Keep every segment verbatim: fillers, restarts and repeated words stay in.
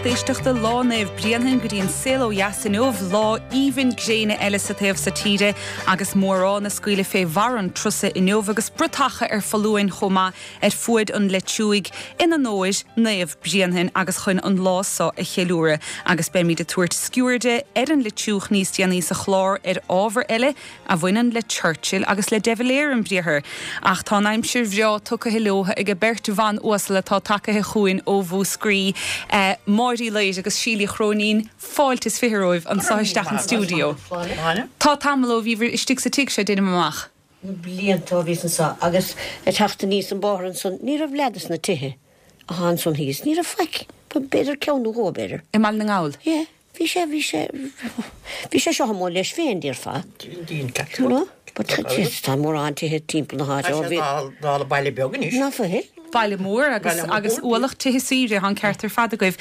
lucht éisteachta lá Naomh Bréanainn go dtí an saol ó dheas inniu lá aoibhinn gréine eile sa taobh seo tíre agus mórán ag scaoileadh fé bharr an trusa inniu agus bratacha ar foluain chomh maith ar fuaid an Leitriúigh in onóir Naomh Bréanainn agus chun an lá seo a cheiliúradh agus beimid ag tabhairt sciuird ar an Leitriúch níos déanaí sa chlár ar ábhar eile a bhaineann le Churchill agus le De Valera an briathar. Ach tá an aimsir bhreá tugtha leo ag beirt bhan uasal atá tagtha chugainn ó Mhúscraí eh, Máire Uí Laoire agus Síle Uí Chróinín fáilte is fiche romhaibh anseo isteach an stiúideo. Tá tamall ó bhíobhair istigh sa tigh seo déanaim amach. Blianta ó bhíos anseo agus ag teacht aníos an bóthar ansan ní raibh leath dos na tithe atá ansan thíos, ní raibh faic, b'fhéidir ceann nó dhó b'fhéidir. I mBaile na nGall. Yeah, bhí sé bhí sé bhí sé seo amuigh leis féin déarfá. No? But tá mórán tithe timpeall na háite ó bhí Dála baile beag anois. Ná fuil? Baile mór agus Baile mór. agus ualach tithe saoire an ceart ar fad agaibh.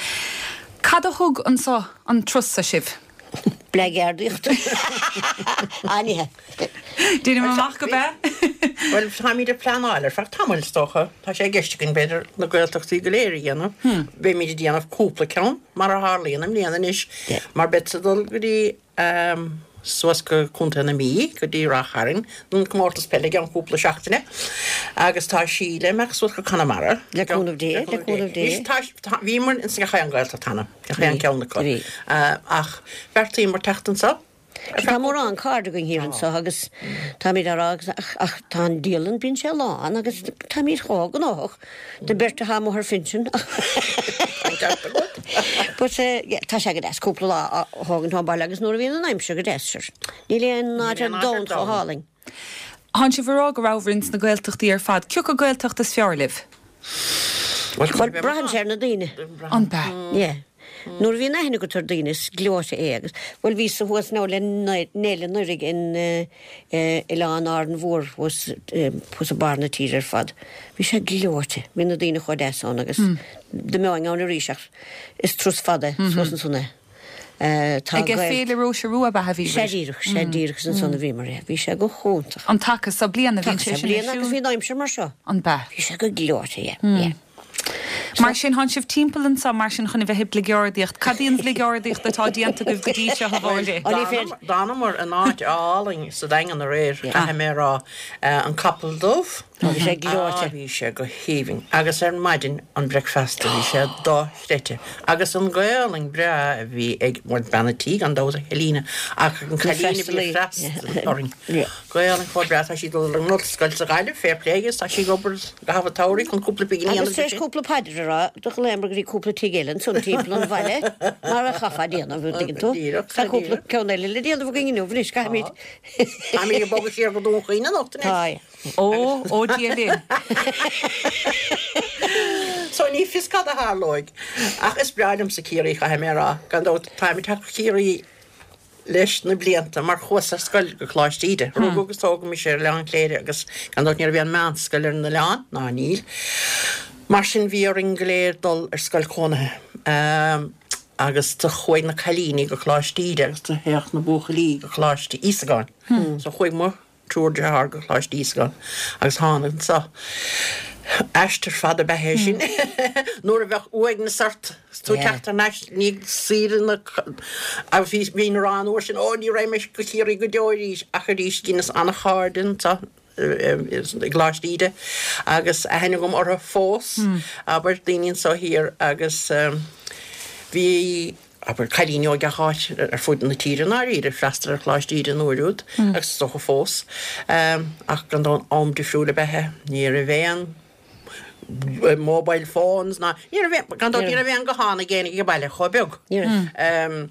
Cad a thug anseo an turas sibh? Bligeardaíocht. Anithe. Déanaim amach go be? Well táimid ag pleanáil ar feadh tamaill is dócha Tá sé i gceist againn b'fhéidir na Gaeltachtaí go léir a dhéanamh. Beimid ag déanamh cúpla ceann mar a tharlaíonn i mbliana anois mar beidh dul go dtí um, suas go Contae na Mí go dtí Ráth Chairn don comórtas peile ceann cúpla seachtaine agus tá Síle ag imeacht suas go Conamara. Le cúnamh Dé, le cúnamh Dé. Bhíomar in gach aon Ghaeltacht cheana, gach aon ceann acu. Bhí. Uh, ach bheartaíomar teacht anseo. Tá mórán cairde againn thiar anseo agus táimid á rá agus ach ach tá an dialann bíonn sé lán agus táimid chomh gnóthach de beirt atá amuigh ar pinsean. But uh, yeah, tá sé go deas cúpla lá a thógaint ón baile agus nuair a bhíonn an aimsir go deas sir. Níl aon áit ar aon áit ar domhan chomh domhan. hálainn. Tá sibh ag rá go raibh sna Gaeltachtaí ar fad, cioca Gaeltacht is fearr libh? Well braitheann sé ar na daoine. An be. Yeah. Nuair a bhíonn aithne agat ar daoine is gleoite é agus well bhí sa thuas ná le néile nurig in Oileán Árainn Mhór thuas thuas i mbarr na tíre ar fad. Bhí sé gleoite, bhí na daoine chomh deas ann agus dá mbeinn ann arís ach is turas fada suas ansan é. Tá Ag féile Róise Rua ba bhí. Sé díreach sé díreach ansan a bhíomar é, bhí sé go hiontach. An taca sa bliana bhí sé sin bliana agus bhí an aimsir mar seo. An be. Bhí sé go gleoite, yeah, yeah. Mar sin tá sibh timpeall anseo mar sin chun a bheith ag bligeardaíocht. Cad í an bhligeardaíocht atá déanta agaibh go dtí seo a Mháire? D'fhanamar in áit álainn sa Daingean aréir caithfidh mé rá an Capall Dubh. Bhí sé gleoite. Bhí sé go haoibhinn agus ar maidin an breakfast bhí sé dochreidte. Agus an Ghaelainn breá a bhí ag bean an tí gan dabht Helena ach an cailín a bhí freastal orainn. Gaelainn chomh breá tá sí dul an scoil sa Ghaillimh fair play tá sí ag obair gach samhradh chun cúpla pingin Agus tar éis cúpla paidir a rá do ghlaomar go dtí cúpla tigh eile ansan timpeall an bhaile mar a chaithfeá déanamh tuigeann tú. Díreach, Tá cúpla díreach. ceann eile le déanamh againn inniu anois caithfimid. Tá mé ag bogadh siar go Dún Chaoin anocht Tá. Ó ó Dia linn. So ní fios cad a tharlóidh ach is breá liomsa Ciarraí caithfidh mé rá gan dabht táim ag teacht Ciarraí leis na blianta mar chuas ar scoil go Coláiste Íde. Rugadh agus tógadh mise ar Oileán Cléire agus gan dabht ní raibh aon mheánscoil ar an oileán ná níl. Mar sin bhí orainn go léir dul ar scoil cónaithe. Um, agus do chuaigh na cailíní go Coláiste Íde agus do théadh na buachaillí go Coláiste Íosagáin. Hmm. So chuaigh mo triúr dearthár go Coláiste Íosagáin agus tháinig anseo. Aistear fada ba é sin. Nuair a bheadh uaigneas ort tú Yeah. teacht arís ní saoire na agus bhí bhí na rán uair sin ó ní raibh mé go Ciarraí go deo arís ach arís dheineas an-chairde anseo i gColáiste Íde agus aithne agam orthu fós abair daoine anseo thiar agus um, bhí abair cailíní ó gach áit ar fud na tíre náiríre freastal ar Choláiste Íde an uair úd agus is dócha fós um, ach gan dabht am difriúil ab ea ní raibh aon mobile phones ná ní raibh gan dabht ní raibh aon guthán ag éinne ag baile chomh beag. Ní raibh. Um,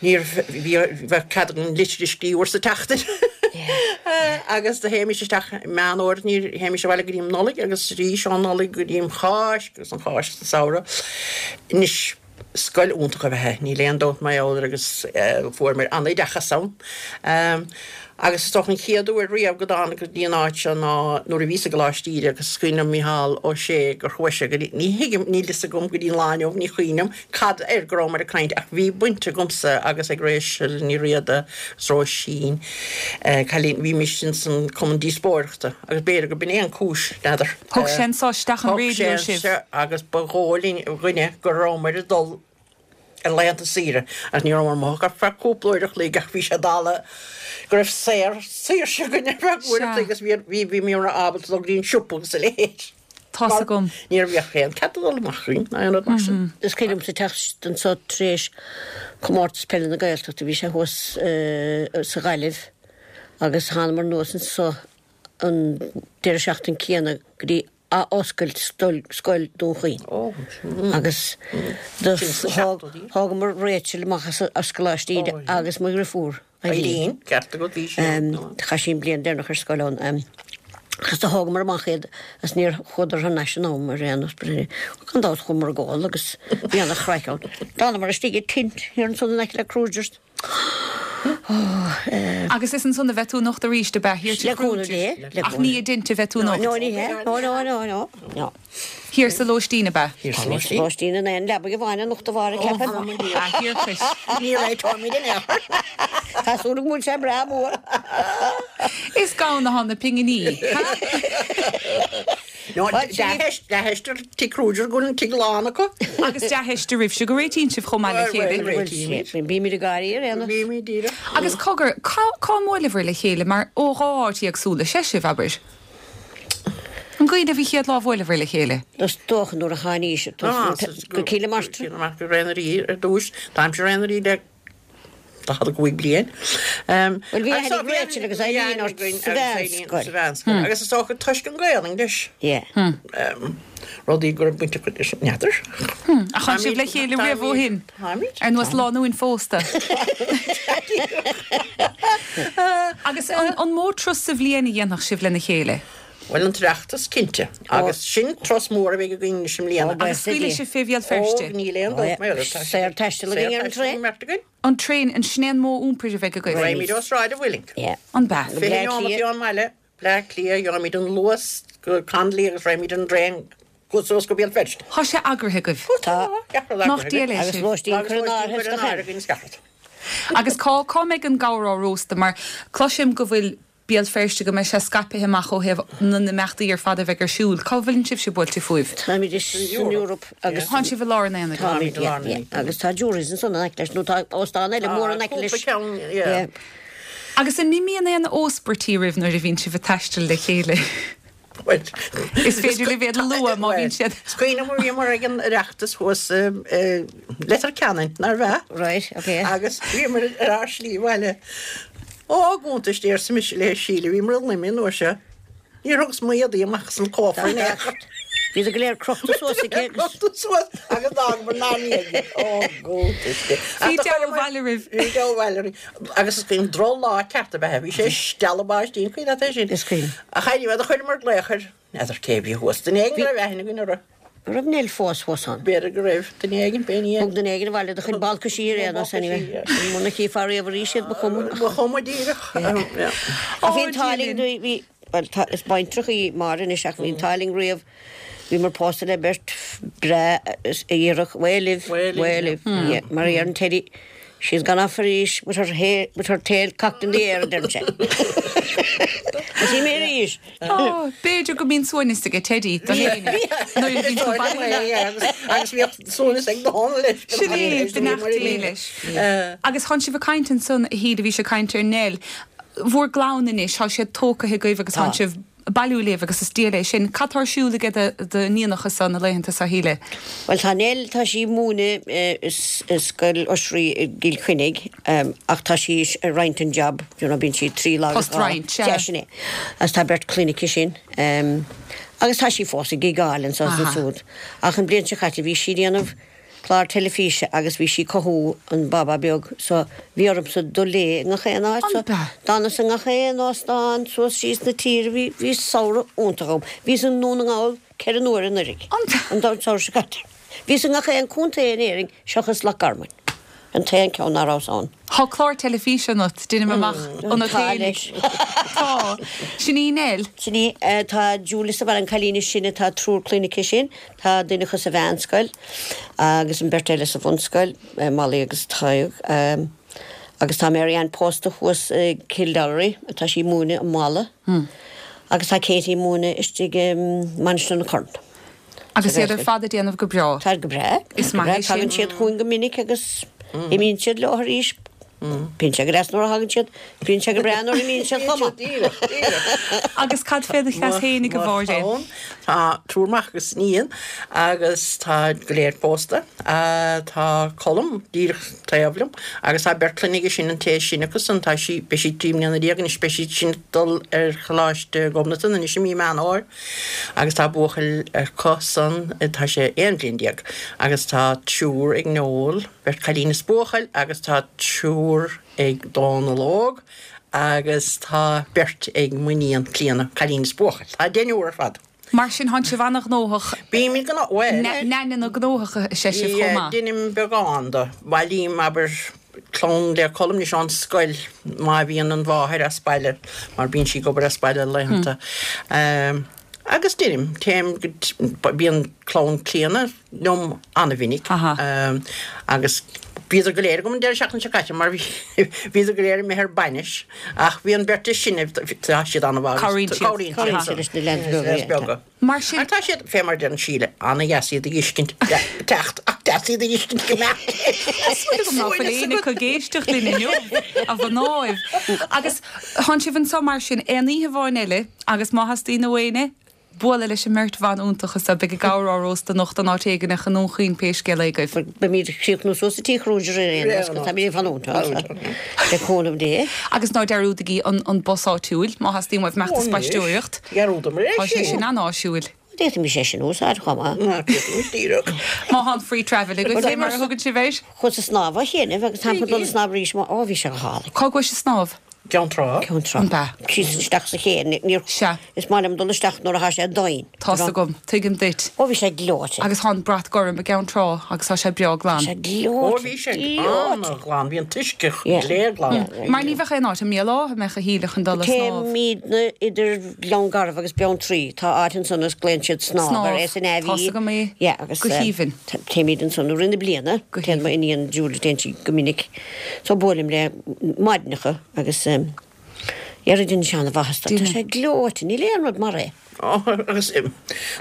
ní bhí cead an litir a scríobh sa tseachtain. agus do théimis isteach meán fómhair ní théimis abhaile go dtí an Nollaig agus arís an Nollaig go dtí an Cháisc agus an Cháisc sa samhradh. Anois scoil iontach a bheith níl aon dabht mar agus uh, fuair mé an-oideachas ann. Um, agus is dócha an chéad uair riamh go dtáinig go dtí an áit seo ná nuair a bhí sa gColáiste Íde agus cuimhním Micheál Ó Sé gur chuaigh sé go dtí ní thuigim níl fhios agam go dtí an lá inniu ní chuimhním cad air go raibh mar ag caint ach bhí baint agamsa agus ag Rachel Ní Riada Róisín eh, cailín bhí mise san cumann díospóireachta agus b'fhéidir go b'in é an cúis n'fheadar. Thug sé anseo isteach an Thug raidió sé sibh. anseo agus ba dhóigh linn dhuine go raibh mar ag dul ar laethanta saoire agus ní rabhamar amuigh ach ar feadh cúpla uair a chloig ach bhí sé dála go raibh saor saoirse againn ar feadh uair a chloig agus bhí bhí bhíomar ábalta dul go dtí an siopa agus a leithéid. Tá's agam. Ní bheadh aon cead dul amach againn ná aon rud mar sin. Is cuimhin liomsa teacht anso tar éis comórtas peile na Gaeltachta, bhí sé thuas sa Ghaillimh agus thánamar anuas anso an deireadh seachtain céanna go dtí athoscailt scoil Dún Chaoin. Agus do thógamar Rachel amach as Coláiste Íde agus mo dheirfiúr Eileen. Ceart agat, bhí sí ann. Chaith sí an bliain deireanach ar scoil ann. Agus do thógamar amach iad agus níor chuadar thar n-ais in am ar aon nós. Gan dabht chuamar ag ól agus bhí ana-chraic ann. D'fhanamar istigh i tent thiar ansan in aice le Kruger's. Agus is ansan a bheidh tú anocht arís, ab ea? Thiar Le cúnamh Dé, le Ach ní i dtent a bheidh tú anocht. No, ní hea. No, no, no, no, no. Thiar sa lóistín, ab ea? Thiar sa lóistín. Lóistín in aon leabaidh amháin anocht a Mháire, ceapaim. A thiarcais. Ní réiteoimid in aon chor. Tá súil agam go bhfuil sé breá mór. Is gann atá na pinginí, ha? No, dea-theist ar Tigh Kruger go bhfuil an tigh lán acu. Agus dea-theist oraibhse go réitíonn sibh chomh maith le chéile. Réitímid. Bímid ag gáirí ar aon nós. Bímid díreach. Agus cogar, cá cá mbuaileabhair le chéile mar ó dhá áit éagsúla is ea sibh, abair? An gcuimhin libh an chéad lá a bhuaileabhair le chéile? Is dócha nuair a tháinís go Cill na Martra. Cill na Martra, Ré na Rí ar dtús. Táimse i Ré na Rí le daichead a cúig bliain. Bhuel, bhí aithne ag Rachel agus Eileen ort sa mheánscoil. Sa mheánscoil. Agus is dócha toisc an Ghaelainn leis. Yeah. Rudaí go raibh baint acu leis, n'fheadar. Ach tánn sibh le chéile riamh ó shin? Táimid. Ar nós lánúin phósta. Agus an mó turas sa bhliain a dhéanfadh sibh lena chéile? Bhuel, an tOireachtas, cinnte. Agus sin turas mór a bheidh againn anois i mbliana. Agus scaoilfidh sibh fé Bhéal Feirste? Ó, níl aon dabht mar tá sé. Saor taistil againn ar an traein. Saor taistil ag an mbeirt againn. An traein, an sin é an modh iompair a bheidh agaibh? Raghaimid ó Sráid an Mhuilinn. An b'ea? Fiche neomat ón mbaile, Bleá Cliath, gheobhaimid an Luas go Connolly agus raghaimid an traein suas go Béal Feirste. Tá sé eagraithe agaibh? Tá. Nach diail é Agus sibh. lóistín Agus curtha in lóistín áirithe curtha in áirithe againn is gach rud. Agus cá, cá mbeidh an gabhar á róstadh? Mar cloisim go bhfuil Béal Feirste, go mbeidh sé scaipthe amach ó thaobh na n-imeachtaí ar fad a bheidh ar siúl. Cá bhfuileann sibhse buailte fúibh? Táimid san Eoraip agus. Tánn sibh i lár an aonaigh. Táimid, yeah, yeah. Agus tá Jurys ansan in aice leis, nó tá óstán eile mór in aice leis. Tá cúpla ceann, yeah. Agus an n-imíonn aon óspairtí oraibh nuair a bhíonn sibh ag taisteal le chéile? Bhuel, Is féidir libh iad a lua má bhíonn siad. Is cuimhin liom bhíomar ag an Oireachtas thuas i Leitir Ceanainn, nárbh ea? Right, okay. Agus bhíomar ar ár slí abhaile. Ó, a gcuntais, arsa mise le Síle, bhíomar i Luimnigh an uair seo. Níor thugas m'éadaí amach as an cófra in aon chor. Bhíodar go léir crochta suas aici agus. Crochta suas agus d'fhágamar inár ndiaidh iad. Ó, gcuntais Dé. Bhí deabhadh abhaile oraibh. Bhí deabhadh abhaile orainn. Agus is cuimhin drochlá ceart ab ea é. Bhí sé ag stealladh báistí, an cuimhin leat é sin? Is cuimhin. Ach anyway, do chuireamar glaoch ar, n'fheadar cé a bhí thuas, duine éigin go raibh aithne againn orthu. An raibh Nell fós thuas ann? B'fhéidir go raibh, duine éigin, b'in í. Thug duine éigin abhaile do chuid balcaisí ar aon nós anyway. Muna chífeá riamh arís iad ba chuma. Ba chuma díreach. Ach bhí an t-ádh linn, bhí, bhuel tá, is baintreach í Máire anois ach bhí an t-ádh linn riamh, bhíomar pósta le beirt breá aerach, Way live, way live, yeah, mar a deireann Teddy, she's gone off arís with her hair, with her tail cocked in the air, a deireann sé. Is í mé arís. Ó, b'fhéidir go mbíonn suaimhneas aige Teddy do fhéin nuair a bhíonn tú bailithe. Agus bhíodh suaimhneas ag Dónal leis. Sin é, beannacht Dé leis. Agus tánn sibh ag caint ansan, a Shíle, bhís ag caint ar Nell. Bhur gclann anois, tá siad tógtha agaibh agus tánn sibh bailiú libh agus is diail é sin. Cad tá ar siúl aige d'iníonacha seo na laethanta seo, a Shíle? Bhuel tá Nell, tá sí ag múineadh i Scoil Oisrí i gCill Chainnigh ach tá sí ag roinnt an job, you know, bíonn sí trí lá agus dhá. Post-roinnt, sea. Sea, sin é. Agus tá beirt clainne aici sin. Agus tá sí fós ag gigeáil anso is ansiúd. Ach an bhliain seo caite bhí sí ag déanamh clár teilifíse agus bhí sí ag cothú an baba beag so bhí ormsa dul léi i ngach aon áit so d'fhanas i ngach aon óstán suas síos na tíre bhí bhí samhradh iontach agam. Bhíos i nDún na nGall ceithre n-uaire anuraidh an samhradh seo caite. Bhíos i ngach aon contae in Éirinn seachas Loch Garman. An t-aon ceann ná rabhas ann. Tá clár teilifíse ionat, deinim amach, ionat Tá féinig. leis. Tá. Sin í Nell. Sin í. Tá Julie sa bhaile, an cailín is sine, tá triúr clainne aici sin. Tá duine acu sa mheánscoil agus an bheirt eile sa bhunscoil, Molly agus Tadhg. Agus tá Mary Ann pósta thuas i Kildorrery, tá sí ag múineadh i Mala. Agus tá Katie ag múineadh istigh i Mainistir na Corann. Agus iad ar fad ag déanamh go breá. Tá go breá. Is maith é sin. Tagann siad chugainn go minic agus imíonn siad leo arís. Bíonn sé go deas nuair a thagann siad, bíonn sé go breá nuair a imíonn siad chomh maith. Díreach, díreach. Agus cad fé do chleas fhéinig, a Mháirín? Tá triúr mac agus iníon agus tá go léir pósta. Tá Colm díreach taobh liom agus tá beirt clainne aige sin an té is sine acu san tá sí, beidh sí trí mbliana déag anois, beidh sí sin ag dul ar Choláiste Ghobnatan anois i mí Meán Fhómhair agus tá buachaill acu san, tá sé aon bhliain déag agus tá triúr ag Noel, beirt chailín is buachaill agus tá triúr ag Dónal Óg agus tá beirt ag m'iníon Clíona, cailín is buachaill. Tá deichniúr ar fad. Mar sin thánn sibh ana-ghnóthach. Bímid gnó, bhuel. Neaineanna gnóthacha is ea sibh chomh maith. Deinim beagán de. Bailím, abair, clann le Colm anois ón scoil má bhíonn an mháthair as baile, mar bíonn sí ag obair as baile laethanta. Agus deinim, téim go, bíonn clann Clíona liom an-mhinic agus bhíodar go léir agam an deireadh seachtaine seo caite mar bhíodar go léir imithe ar bainis ach bhí an bheirt is sine, tá siad an-mhaith agus Cabhraíonn siad. Cabhraíonn siad leis na leaids beaga, beaga. Mar sin. Ach tá siad, fé mar a deireann Síle, an-dheas iad a dh'fheiscint, teacht ach deas iad a dh'fheiscint go mbeadh Súil agam ná fuil éinne acu ag éisteacht linn inniu, a mhnáibh. Agus thánn sibh anso mar sin aon oíche amháin eile agus má theastaíonn ó éinne bualadh leis an mbeirt bhan iontacha so, beidh a gcabhair á róstadh anocht in áit éigineach i nDún Chaoin pé scéal é agaibh. Beimid ag críochnú suas i Tigh Kruger ar aon nós, agus táimid ag fanúint ann, le cúnamh Dé. Agus ná dearúdaigí an an bus áitiúil, má theastaíonn uaibh imeacht ag spaisteoireacht. Dhearúdamar é Tá sé sin. sin an-áisiúil. D'fhéadfaimis é sin a úsáid chomh maith. Ná, d'fhéadfaimis díreach. Má thá an free travel agaibh, fé mar a thugann sibh air. Chuas ag snámh cheana agus táim chun dul ag snámh arís, ó bhí sé go hálainn. Cá gcuais ag snámh? Ceann Trá. Ceann Trá. An b'ea? Síos isteach sa ché. Níor. Sea. Is maith liom dul isteach nuair atá sé domhain. Tá's agam. Tuigim duit. Ó bhí sé gleoite. Agus tá an brat gorm i gCeann Trá agus tá sé breá glan. Tá sé gleoite. Ó bhí sé an-ghlan. Bhí an t-uisce gléglan. Mar ní bheadh aon áit i mBéal Átha a mbeadh a shíle chun dul a snámh. Téimidne idir Gleann Garbh agus Beanntraí. Tá áit ansan is glaonn siad Snámh air. Snámh. S N A V. Tá's agam é. Yeah, agus Go haoibhinn. Téimid ansan i rith na bliana. Go Téann haoibhinn. m'iníon Julie, téann sí go minic. So buailim léi maidineacha agus dhera dhein sé ana-mhaitheas dom. Tá sé gleoite, níl aon rud mar é. Ó, agus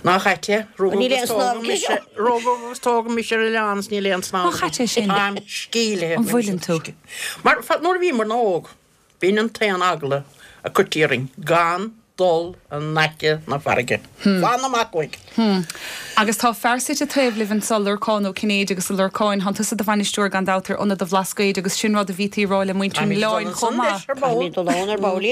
nach ait é, rugadh Níl aon agus snámh tógadh aici mise, seo. rugadh agus tógadh mise ar oileán is níl aon snámh Nach ait é sin? Táim scílithe. An bhfuileann tú? Mar nuair a bhíomar óg, b'in an t-aon eagla a cuirtí orainn, gan dul in aice na farraige. Fan amach uaidh. Agus tá fear suite taobh libh anso, Lorcán Ó Cinnéide agus a Lorcáin, thánn tusa i do bhainisteoir gan dabht ar Ionad an Bhlascaoid agus sin rud a bhítí ag rá le muintir an Táimid oileáin dul chomh ansan maith. leis ar ball. Táimid dul ann ar ball.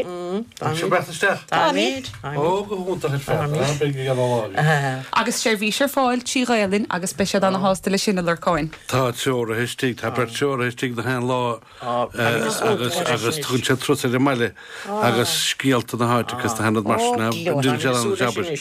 Tá sibh breath isteach? Táimid. Ó, go hiontach ar fad. Beidh ag an lá. Agus seirbhís ar fáil trí Ghaelainn agus beidh siad ana-shásta leis sin a Lorcáin. Tá treoraithe istigh, tá beirt treoraithe istigh na haon lá agus agus agus tugann siad turas ar an mbaile agus scéalta na háite agus na haon rud mar sin. Déanann siad an-jab air.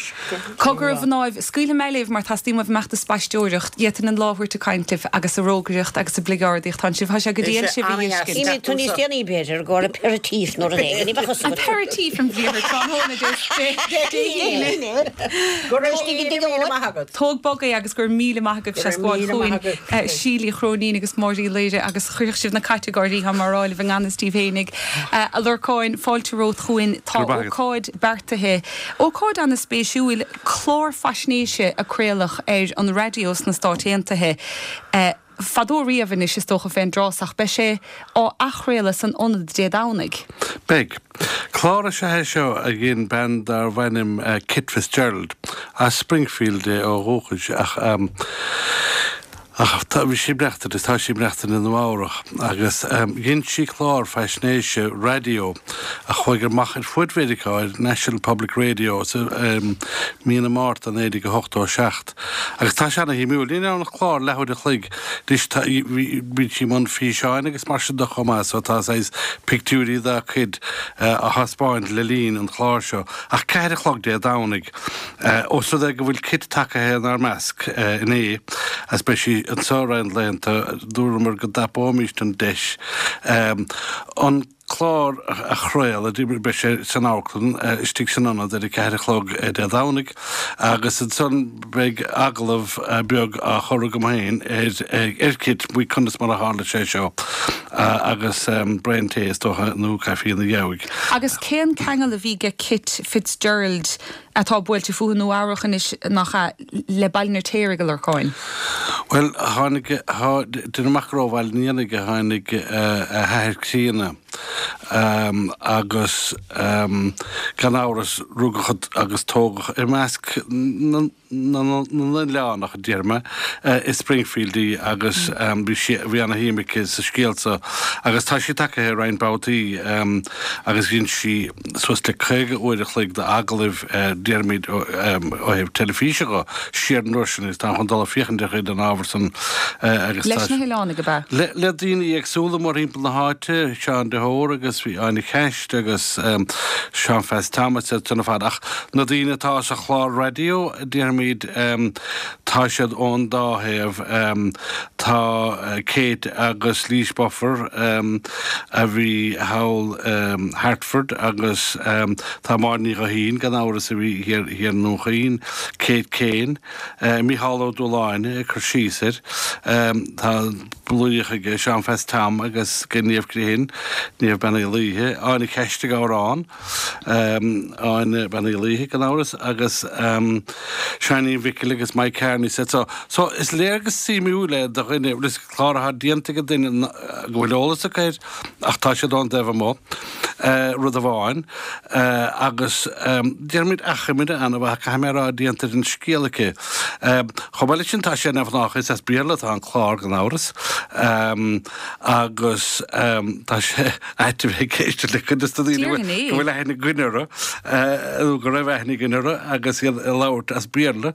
Cogar a mhnáibh, scaoilfidh mé libh mar teastaíonn uaibh imeacht ag spaisteoireacht, d'fhéadfainn an lá a thabhairt ag caint libh agus ag rógaireacht agus ag bligeardaíocht. Tá sibh, tá sé go diail Is é sibh a an-dheas. fheiscint. Imíonn tú níos déanaí b'fhéidir, go aperitif nó rud éigin, ní bheadh fhios An agat. aperitif an bhliain tráthnóna Dé Dé hAoine. Go raibh Istigh i míle dtigh míle maith agat. Tóg bog é agus go raibh míle maith agaibh Go as raibh gabháil míle chugainn maith agaibh. Síle Uí Chróinín agus Máire Uí Laoire agus chuirfeadh sibh na cait ag gáirí tá mar áilibh i ngan fhios daoibh fhéinig. A Lorcáin, fáilte romhat chugainn tá Go raibh maith agat. ócáid beartaithe. Ócáid an-spéisiúil clár faisnéise a craoladh ar an raidió sna Stáit Aontaithe. Eh, fadó riamh anois is dócha fén dtráth ach beidh sé á athchraoladh san ionad Dé Domhnaigh. Beidh. Clár is ea é seo a dhein bean darbh ainm eh, Kit Fitzgerald as Springfield é ó dhúchas ach um, ach tá bhí sí ag maireachtaint is tá sí ag maireachtaint i Nua Eabhrac agus um, dhein sí clár faisnéise raidió a chuaigh amach ar fud Mheiriceá ar National Public Radio sa um, mí na Márta naoi déag ochtó seacht. Agus tá sé ana-shuimiúil, níl ann ach clár leathuair a chloig anois bhí sí i mbun físeáin agus mar sin de chomh maith so tá saghas pictiúirí dá cuid uh, a thaispeáint le linn an chláir seo. Ach ceathair a chlog Dé Domhnaigh. Uh, Ós rud é go bhfuil Kit tagaithe inár measc uh, inné as beidh sí anseo roinnt laethanta dúramar go dtapóimist an deis. Um, an clár a chraoladh, beidh sé san amharclann istigh san ionad ar a ceathair a chlog Dé Domhnaigh agus ansan beidh agallamh beag á chur agam féin ar Kit faoi conas mar a tharla sé seo agus braon tae is dócha nó caife ina dhiaidh. Agus cén ceangal a bhí ag Kit Fitzgerald atá buailte fúthu i Nua Eabhrac anois nach ea, le Baile an Fheirtéaraigh, a Lorcáin? Bhuel, tháinig, deirim amach gur ó Bhaile an Éanaigh a tháinig a hathair críonna agus gan amhras rugadh agus tógadh i measc na n-oileánach, a déarfaidh mé, i Springfield í agus bhí sí, bhí ana-shuim aici sa scéal so agus tá sí tagaithe roinnt babhtaí agus dhein sí suas le caoga uair a chloig d'agallaimh, déarfaimid, ó thaobh teilifíse dho, siar an uair sin agus táim chun dul ag féachaint ar chuid den ábhar san agus tá. Leis na hoileánaigh, ab ea? Le, le daoine éagsúla mórthimpeall na háite, Seán de hÓra agus bhí Áine Ceist agus Seán Pheaits Thomas iad san ar fad ach na daoine atá sa chlár raidió, déarfaimid, tá siad ón dá thaobh. Tá Kate agus Laoise Buffer a bhí thall Hartford agus tá Máire Ní Ghuithín, gan amhras, a bhí thiar i nDún Chaoin, Kate Kane, Mícheál Ó Dúláin ag cur síos air. Tá laoch aige, Seán Pheaits Tom agus Niamh Grehan, Niamh Bean Uí Laoithe, Áine Ceist ag amhrán, Áine Bean Uí Laoithe gan amhras agus Seáinín Mhicil agus Mike Kearney said so. So is léargas suimiúil é do dhuine, is clár atá déanta ag duine go bhfuil eolas acu air ach tá siad ón dtaobh amuigh, rud amháin, agus déarfaimid achoimre an-mhaith, caithfidh mé a rá, déanta ar an scéal aici. Chomh maith leis sin tá sé neamhghnách, is as Béarla atá an clár gan amhras agus tá sé ait a bheith ag éisteacht le cuid de na daoine go bhfuil aithne againn orthu nó go raibh aithne againn orthu agus iad ag labhairt as Béarla,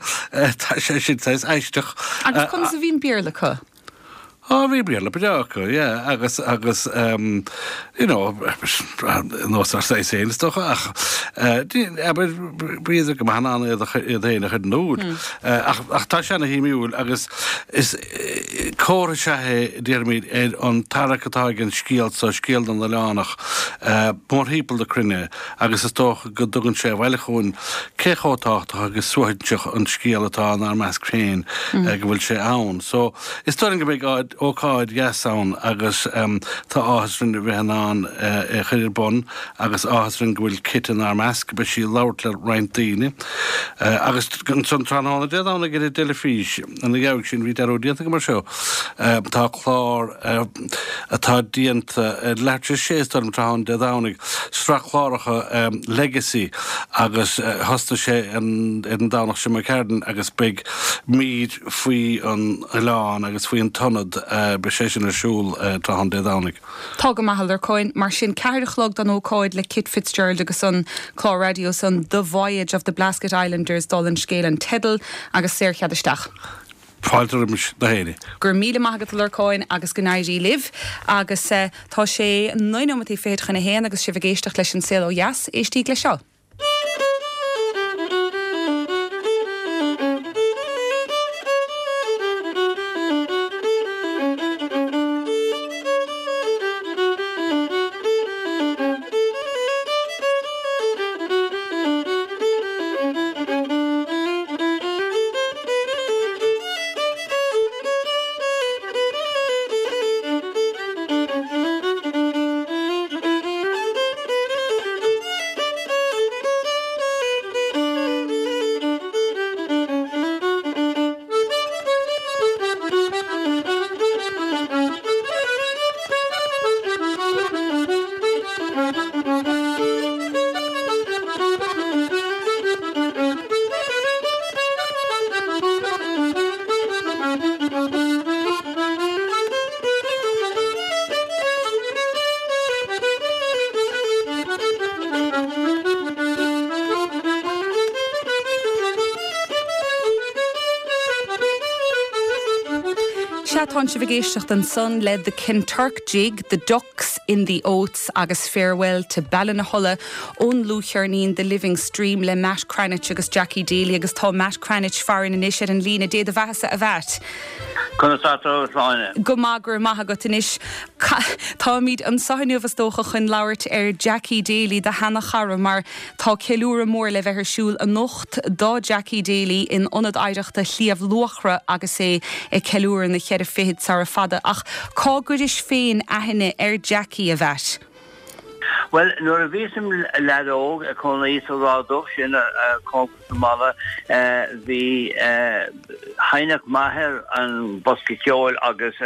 tá sé sin saghas aisteach. Agus conas a bhí an Béarla acu? Á, bhí Béarla breá acu, yeah, agus, agus you know, nós ár saghas féin is dócha, ach abair, bhíodar go maith in ann iad iad féin a chur in iúl. Ach, ach tá sé ana-shuimiúil agus is comhartha is ea é, déarfaimid, ar an tarrac atá ag an scéal seo, scéal na n-oileánach, mórthimpeall na cruinne agus is dócha go dtugann sé abhaile chugainn cé chomh tábhachtach agus suaithinseach an scéal atá inár measc féin go bhfuil sé ann. So, is dóigh liom go mbeidh ócáid dheas ann agus tá áthas orainn a bheith in ann é a chur ar bun agus áthas orainn go bhfuil Kit inár measc. Beidh sí ag labhairt le roinnt daoine agus ansan tráthnóna Dé Domhnaigh ar an dteilifís ina dhiaidh sin, bhí dearúd déanta agam air seo, tá clár atá déanta ar leathuair tar éis a sé is dóigh liom tráthnóna Dé Domhnaigh, sraith cláracha Legacy agus thosnaigh sé ar an Domhnach seo imigh tharainn agus beidh mír faoi an oileán agus faoi an t-ionad, beidh sé sin ar siúl tráthnóna Dé Domhnaigh. Tá go maith, a Lorcáin. Mar sin, ceathair a chlog don ócáid le Kit Fitzgerald agus an clár raidió san The Voyage of the Blasket Islanders, dála an scéil an teideal, agus saorchead isteach. Fáilte roimis na héinne. Go raibh míle maith agat a Lorcáin agus go n-éirí libh. Agus tá sé naoi nóimeataí fichead chun a haon agus sibh ag éisteacht leis An Saol Ó Dheas, éistíg le seo. Sea, tánn sibh ag éisteacht ansan le The Kinturk Jig, The Ducks in the Oats agus Farewell to Ballinahulla ón ndlúthcheirnín The Living Stream le Matt Cranitch agus Jackie Daly agus tá Matt Cranitch farainn anois ar an líne Dé do bheathasa a Mhatt. Conas tá tú Sláine. Go maith go raibh maith agat anois Táimid anseo inniu is dócha chun labhairt ar Jackie Daly do sheanchara mar tá ceiliúradh mór le bheith ar siúl anocht do Jackie Daly in Ionad Oidhreachta Shliabh Luachra agus é ag ceiliúradh na cheithre fichid sara fada ach cá gcuiris féin aithne ar Jackie a Mhatt. Well nuair a bhíos im leaid óg ag cónaí sa Ráth Dubh sin cóngarach don mbaile bhí sheinneadh m'athair an bosca ceoil agus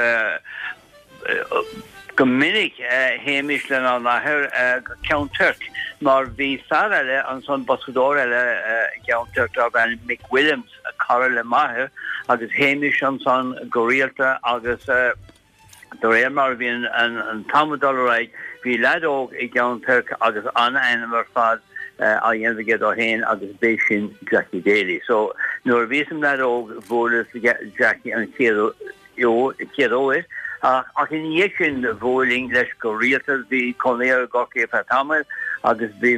go minic théimis lenár n-athair go Ceann Toirc mar bhí fear eile ansan boscadóir eile i gCeann Toirc darb ainm Mick Williams cara le m'athair agus théimis ansan go rialta agus de réir mar a bhí an t-am ag dul ar aghaidh bhí leaid óg i gCeann Toirc agus an-ainm ar fad á dhéanamh aige dó féin agus b'é sin Jackie Daly. So nuair a bhíos im leaid óg bhuaileas le Jackie an chéad chéad uair ach ina dhiaidh sin bhuailinn leis go rialta bhí cónaí air i gCorcaigh ar feadh tamaill agus bhí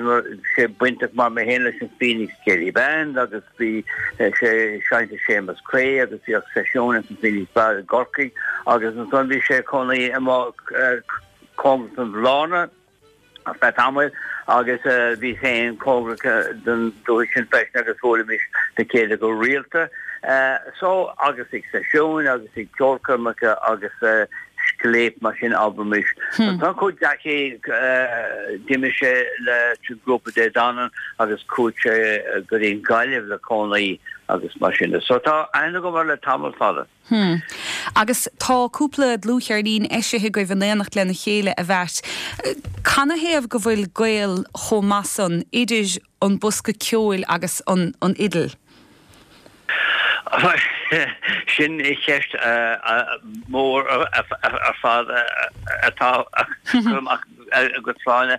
sé bainteach mar mé féin leis an Phoenix Céilí Band agus bhí sé ag seinnt le Séamus Creagh agus bhíodh seisiún ins an Phoenix Bar i gCorcaigh agus ansan bhí sé ag cónaí amuigh cóngarach don Bhlarna ar feadh tamaill agus bhíos féin cóngarach don dúiche sin freisin agus bhuailimis le chéile go rialta. So agus ag seisiúin agus ag ceolchoirmeacha agus scléip mar sin abraimis. Ansan chuaigh Jackie d'imigh sé le grúpa Dé Danann agus chuaigh sé go dtí an Ghaillimh le cónaí agus mar sin de. So tá aithne agam air le tamall fada. Hmm. Agus tá cúpla dlúthcheirnín eisithe agaibh in éineacht lena chéile a Mhatt. Canathaobh go bhfuil gaol chomh maith san idir an bosca ceoil agus an an fhidil? Sin ceist mór ar fad atá amach agat Sláine.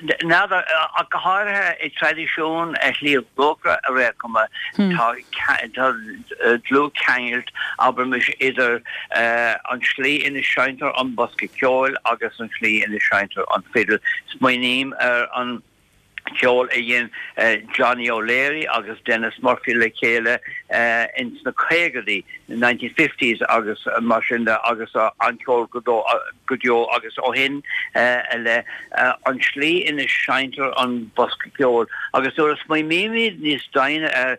N'fheadar, ach go háirithe i dtraidisiún Shliabh Luachra ar aon chuma, tá dlúthcheangal, abraimis, idir an tslí ina seinntear an bosca ceoil agus an tslí ina seinntear an fidil. Smaoiním ar an ceol a dhein Johnny O'Leary agus Denis Murphy le chéile ins na caogaidí, nineteen fifties, agus mar sin de agus an-cheol go deo agus ó shin i leith, an tslí ina seinntear an bosca ceoil. Agus nuair a smaoinímid níos doimhne air,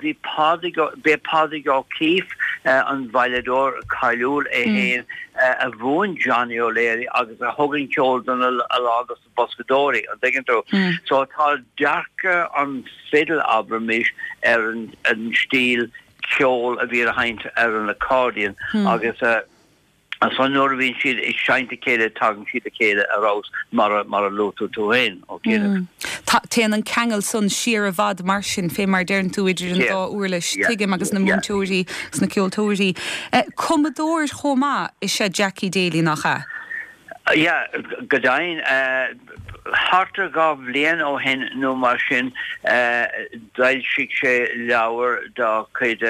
bhí Pádraig, b'é Pádraig O'Keeffe, an veidhleadóir cáiliúil é féin, a mhúin Johnny O'Leary agus a thug an ceol don a lán dos na boscadóirí, an dtuigeann tú? So tá dearcadh an fidil, abraimis, ar an stíl ceoil a bhí á sheinnt ar an accordion agus ansan nuair a bhíonn siad ag seinnt a chéile tagann siad le chéile ar fheabhas mar a mar a luaigh tú tú féin, Ó Ciaraidh. Téann an ceangal san siar i bhfad mar sin, fé mar deireann tú idir an dá uirlis, tuigim, agus na múinteoirí agus na ceoltóirí. Cumadóir chomh maith is ea Jackie Daly, nach ea? Yeah, go deimhin. Thart ar dhá bhliain ó shin nó mar sin d'fhoilsigh sé leabhar dá chuid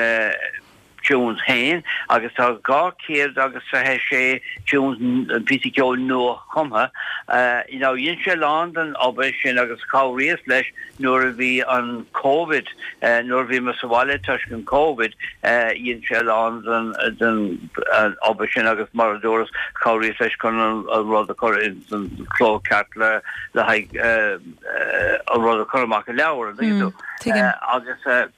tunes féin agus tá dhá chéad agus fiche sé tunes, píosaí ceoil nua-chumtha. You know, dhein sé a lán den obair sin agus chabhraíos leis nuair a bhí an Covid, nuair a bhíomar sa bhaile toisc an Covid, dhein sé a lán den den obair sin agus mar a dúras, chabhraíos leis chun an rud a chur ins an cló ceart le le haghaidh an rud a chur amach i leabhar, an dtuigeann tú? Tuigim. Agus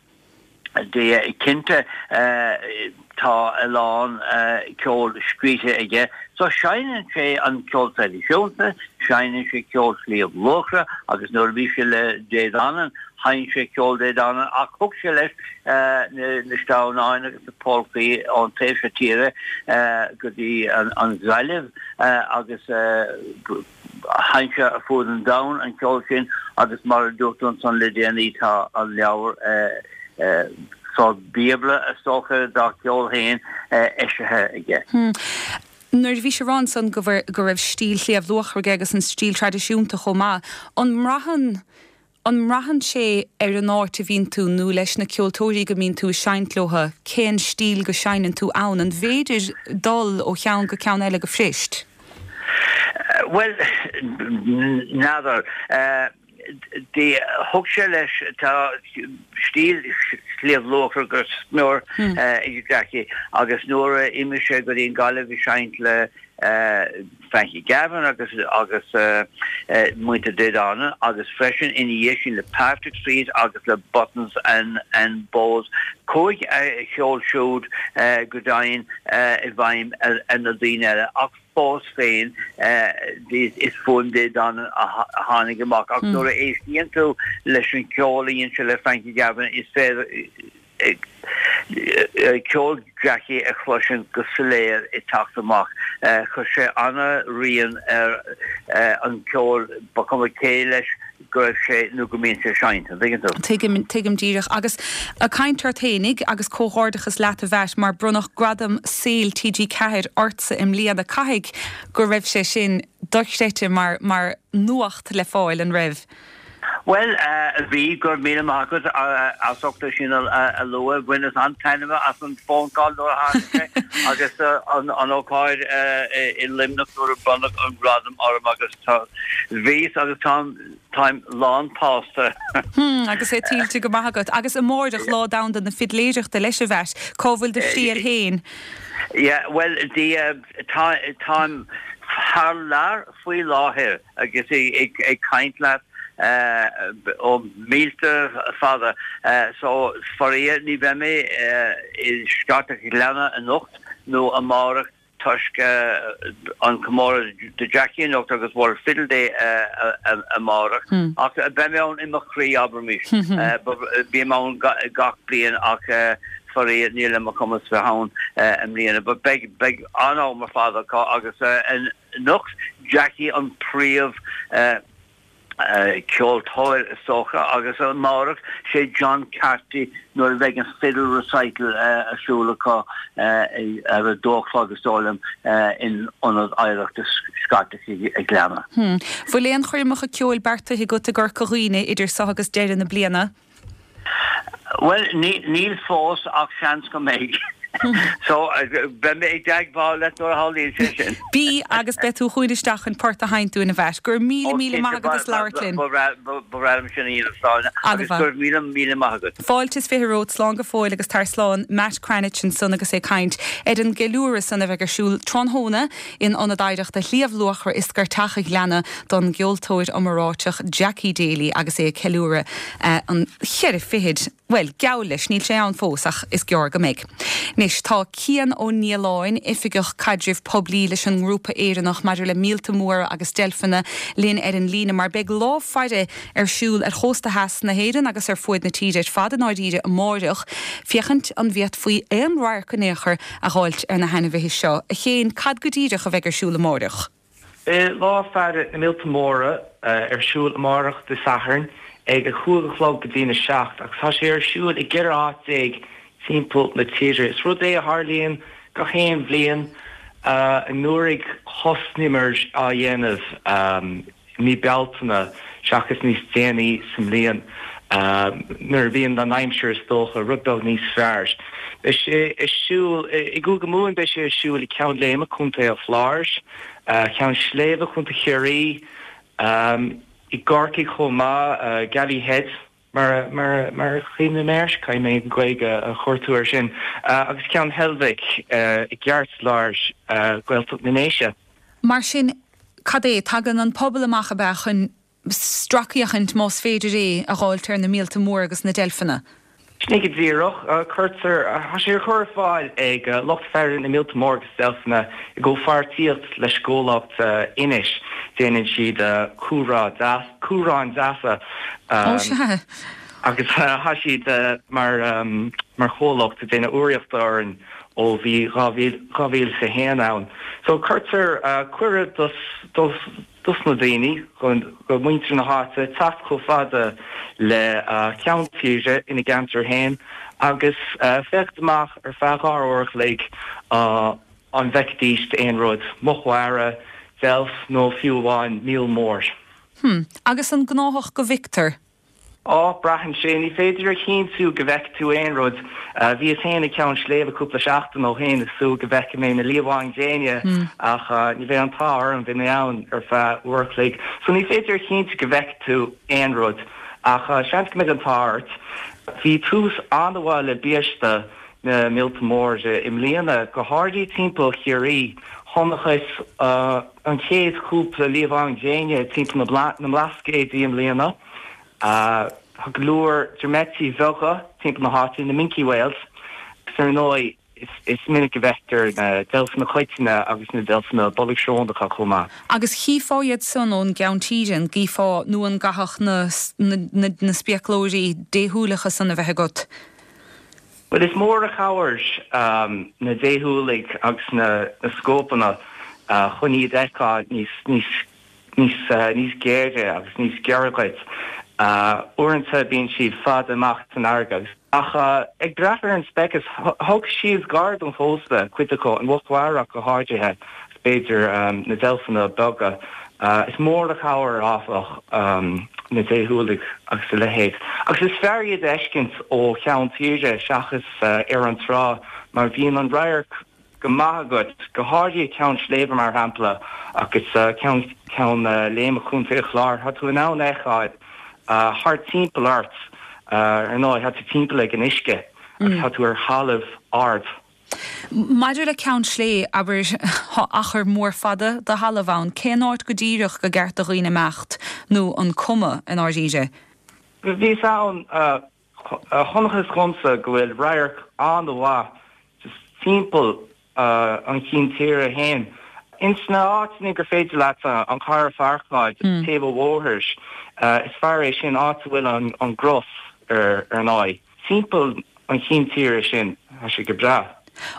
de cinnte tá a lán ceoil scríte aige. So seinneann sé an ceol traidisiúnta, seinneann sé ceol Shliabh Luachra agus nuair a bhí sé le Dé Danann, sheinn sé ceol Dé Danann ach thug sé leis na sleamhnáin agus na polcaí ón taobh seo tíre go dtí an Ghaillimh agus sheinn sé ar fud an domhain an ceol sin agus mar a dúirt tú ansan le déanaí tá an leabhar sórt bíobla is dócha dá cheol féin eisithe aige. Nuair a bhís ag rá ansan go go raibh stíl Shliabh Luachra aige agus an stíl traidisiúnta chomh maith, an mbraitheann An mbraitheann sé ar an áit a bhíonn tú nó leis na ceoltóirí go mbíonn tú ag seinnt leo, cén stíl go seinneann tú ann? An bhféidir dul ó cheann go ceann eile go fuirist? Bhuel, n'fheadar. Thug sé leis, tá stíl Shliabh Luachra go smior ag Jackie agus nuair a imigh sé go dtí an Gaillimh ag seinnt le Frankie Gavin agus agus muintir Dé Danann agus freisin ina dhiaidh sin le Patrick Street agus le Buttons and and Bows. Chuaigh a cheol siúd go deimhin i bhfeidhm ar na daoine eile ach fós féin is fuaim Dé Danann a tháinig amach ach nuair a éistíonn tú leis an cheol a dhein sé le Frankie Gavin is féidir ceol Jackie a chloisint go soiléir ag teacht amach. Chuir sé ana-rian ar an cheol, ba chuma cé leis go raibh sé nó go mbíonn sé ag seinnt, an dtuigeann tú? Tuigim, tuigim díreach. Agus ag caint ort fhéinig, agus comhghairdeachas leat a Mhatt, mar bronnadh Gradam Saoil T G ceathair ortsa i mbliana. Caithfidh go raibh sé sin dochreidte mar, mar nuacht le fáil, an raibh? Bhuel, bhí, go raibh míle maith agat as ucht é sin a lua. Bhaineas an-taitneamh as an phone call nuair a tháinig sé agus an ócáid i Luimneach nuair a bronnadh an gradam orm agus tá, bhíos agus táim, táim lán-tsásta. Hmm, agus é tuillte go maith agat. Agus amáireach, Lá Domhanda na Fidléireachta leis, a Mhatt, cá bhfuil do thriall féin? Yeah, bhuel, tá, táim thar lear faoi láthair agus ag caint leat ó mílte fada so faraor ní bheidh mé i Scartach an Ghleanna anocht nó amárach toisc an comóradh do Jackie anocht agus World Fiddle Day amárach ach beidh mé ann i mo chroí abraimis. Bím ann gach bliain ach faraor níl ar mo chumas bheith ann i mbliana but beidh beidh an-am ar fad acu agus anocht Jackie an príomh ceoltóir is dócha agus amárach sé John Carty nuair a bheidh an fiddle recital ar siúl acu ar a dó a chlog is dóigh liom in Ionad Oidhreachta Scartach an Ghleanna. Bhfuil aon choirmeacha ceoil beartaithe agat i gCorca Dhuibhne idir seo agus deireadh na bliana? Bhuel, níl fós ach seans go mbeidh. So, beidh mé i dteagmháil leat nuair a tharlaíonn sé sin. Bí agus beidh tú chugainn isteach chun port a sheinnt dúinn, a Mhatt. Go raibh míle míle maith agat as labhairt linn. Ba bhreá liom sin a dhéanamh, Sláine, agus go raibh míle míle maith agat. Fáilte is fiche romhat, slán go fóill agus tar slán. Matt Cranitch ansan agus é ag caint ar an gceiliúradh san a bheidh ar siúl tráthnóna in Ionad Oidhreachta Shliabh Luachra i Scairteach an Ghleanna don gceoltóir iomráiteach Jackie Daly agus é ag ceiliúradh an cheithre fichid, bhuel, geall leis, níl sé ann fós ach is gearr go mbeidh. Anois, tá Cian Ó Nialláin, Oifigeach Caidrimh Poiblí leis an nGrúpa Éireannach maidir le Míolta Móra agus Deilfeanna, linn ar an líne mar beidh lá faire ar siúl ar chósta theas na hÉireann agus ar fuaid na tíre ar fad i ndáiríre amáireach, féachaint an bhféadfaí aon radharc in aon chor a dh'fháilt ar na hainmhithe seo. A Chéin, cad go díreach a bheidh ar siúl amáireach? Beidh Lá Faire na Míolta Móra ar siúl amárach Dé Sathairn ag a cúig a chlog go dtí'n a seacht agus tá sé ar siúl i gceithre áit déag timpeall na tíre. Is rud é a tharlaíonn gach aon bhliain. Anuraidh thosnaíomar á dhéanamh i mí Bealtaine seachas níos déanaí sa mbliain nuair a bhíonn an aimsir is dócha rud beag níos fearr. Beidh sé ar siúl i gCúige Mumhan, beidh sé ar siúl i Ceann Léime, Contae an Chláir, Ceann Sléibhe, Contae Chiarraí, i gCorcaigh chomh maith, Galley Head mar a chuimhním air, caithfidh mé an Ghaeilge a chuartú air sin, agus Ceann Heilbhic i gceartlár Ghaeltacht na nDéise. Mar sin, cad é, tagann an pobal amach, ab ea, chun stracfhéachaint, más féidir é, a dh'fháilt ar na míolta móra agus na deilfeanna? Sin é go díreach. Cuirtear, tá sé á chur ar fáil ag lucht faire na míolta móra agus deilfeanna i gcomhpháirtíocht leis an gcomhlacht Inis. Déanann siad cumhrá deas, cumhráin deasa. Ó sea. Agus tá siad mar, mar chomhlacht ag déanamh urraíochta orainn ó bhí dhá mhíle is a haon ann. So cuirtear cuireadh dos, dos, dos na daoine, do mhuintir na háite, teacht chomh fada le ceann tíre ina gceantar féin agus féachaint amach ar feadh dhá uair a chloig an bhfeicfidís aon rud, muc mhara, deilf nó fiú amháin míol mór. Hm. Agus an gnáthach go bhfeictear? Ó, braitheann sé, ní féidir a chinntiú go bhfeicfidh tú aon rud. Bhíos féin ag Ceann Sléibhe cúpla seachtain ó shin ag súil go bhfeicfidh mé na liamháin ghréine ach ní bheidh an t-ádh orm, bhí mé ann ar feadh uair a chloig. So ní féidir a chinntiú go bhfeicfidh tú aon rud ach seans go mbeidh an t-ádh ort. Bhí tús an-mhaith le biaiste na míolta móra i mbliana, go háirithe timpeall Chiarraí. Chonacthas an chéad chúpla liamhán gréine timpeall na mBlascaodaí i mbliana. Tá go leor dromaití bheaga timpeall na háite, na minke whales, agus ar ndóigh is minic a bhfeictear na deilfeanna coiteanna agus na deilfeanna bolgshrónacha chomh maith. Agus chífeá iad san ón gceann tíre, an gcífeá nó an gcaithfeadh na na spéaclóirí déshúileacha san a bheith agat? Bhuel, is mór a chabhair na déshúiligh agus na scópanna chun iad a fheiceáil níos níos níos níos géire agus níos giorra dhuit. Uaireanta bíonn siad fada amach san fharraige agus. Ach ag brath ar an speiceas, thug siad gar don chósta, cuid acu, an mhuc mhara ach go háirithe, agus b'fhéidir na deilfeanna beaga. Is mór a chabhair, áfach, na déshúiligh agus a leithéid. Agus is fearr iad a fheiscint ó cheann tíre seachas ar an trá mar bíonn an radharc go maith agat, go háirithe Ceann Sléibhe mar shampla agus Ceann Ceann Léime Chontae an Chláir, tá tú in ann a fheiceáil thart timpeall ort, ar ndóigh, tá tú timpeall ag an uisce agus tá tú ar thalamh ard. Maidir le Ceann Sléibhe, abair, tá achar mór fada de thalamh ann, cén áit go díreach gur ceart do dhaoine imeacht nó an cuma i ndáiríre? Bhíos ann Chonacthas dhomsa go bhfuil radharc an-mhaith just timpeall an chinn tíre féin. Ins na áiteanna gur féidir leat an carr a pháirceáil just taobh an bhóthair, is fearr é sin, áit a bhfuil an gcros ar ndóigh. Timpeall an chinn tíre sin, tá sé go breá.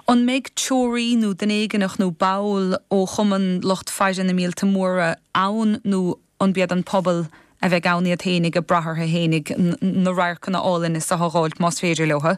An mbeidh treoraí nó duine éigineach nó ball ó Chumann Lucht Faire na Míolta Móra ann nó an b'iad an pobal a bheidh ann iad fhéinig ag brath orthu fhéinig na radharcanna álainne is a dh'fháilt más féidir leo.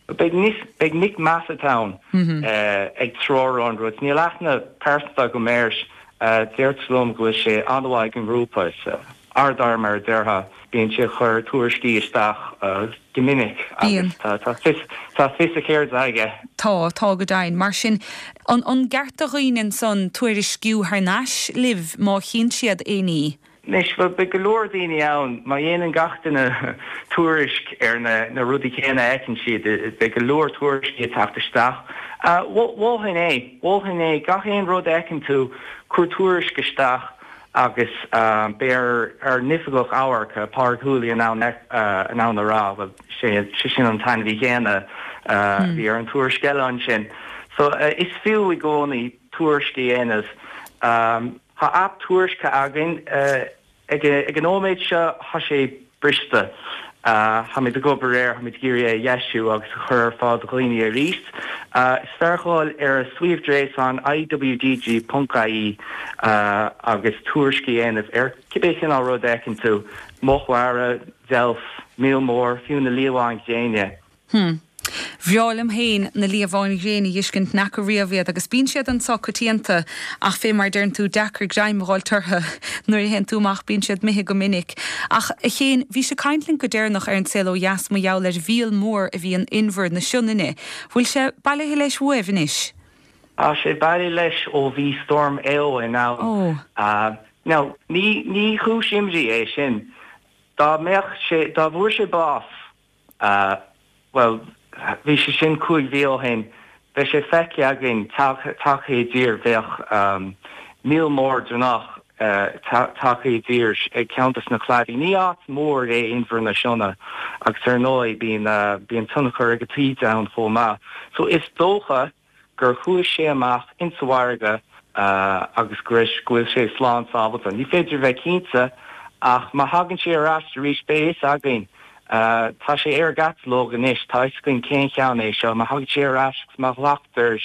Beidh beidh Nick Massett ann ag treorú an rud. Níl aithne pearsanta agam air. Deirtear liom go bhfuil sé an-mhaith ag an ngrúpa. Is ardfhear mar a déarfá. Bíonn sé ag cur tuairiscí isteach go minic agus tá fios tá fios a cheirde aige. Tá, tá go deimhin. Mar sin, an an gceart do dhaoine ansan tuairisciú thar n-ais libh má chíonn siad aon ní? Anois, bhuel, beidh go leor daoine ann, má dhéanann gach duine tuairisc ar na rudaí céanna a fheiceann siad, beidh go leor tuairiscí ag teacht isteach. Mholfainn é, mholfainn é, gach aon rud a fheiceann tú, cuir tuairisc isteach agus beidh ár n-oifigeach amhairc, Pádraig Whooley, in ann in ann a rá, bhuel, sé sin an t-ainmhí céanna a bhí ar an tuairisc eile ansin. So, is fiú i gcónaí tuairisc a dhéanamh. Tá aip tuairiscithe againn. Ag an nóiméad seo tá sé briste. Táimid ag obair air, táimid ag iarraidh é a dheisiú agus a chur ar fáil do dhaoine arís. Is fearr dhul ar a suíomh gréasáin iwdg ponc ie agus tuairisc a dhéanamh ar cibé cineál rud a fheiceann tú, muc mhara, deilf, míol mór, fiú na liamháin ghréine. Hm. Bhreá liom féin na liamháin ghréine a dh'fheiscint, n'fheaca riamh iad agus bíonn siad anso coitianta ach fé mar deireann tú, deacair greim a dh'fháilt orthu nuair a théann tú amach, bíonn siad imithe go minic. Ach, a Chéin, bhís ag caint linn go deireanach ar An Saol Ó Dheas mar gheall ar mhíol mór a bhí in inbhear na Sionainne. Bhfuil sé bailithe leis uaibh anois? Tá sé bailithe leis ó bhí Storm Éowyn ann. Ó. Now, ní, ní chúis imní é sin. Dá mbeadh sé, dá bhfuair sé bás, Bhuel, bhí sé sin cúig mhí ó shin. Bheadh sé feicthe againn tagtha i dtír, bheadh míol mór dronnach tagtha i dtír ag ceann de na cladaí. Ní áit mhór é Inbhear na Sionna agus ar ndóigh bíonn bíonn tionchar ag an taoide ann chomh maith. So is dócha gur chuaigh sé amach insa bhfarraige agus go raibh, go bhfuil sé slán sábhailte. Ní féidir a bheith cinnte ach má thagann sé ar ais arís beidh a fhios againn. Tá sé ar an gcatalóg anois, tá a fhios againn cén cheann é seo. Má thagann sé ar ais agus má ghlactar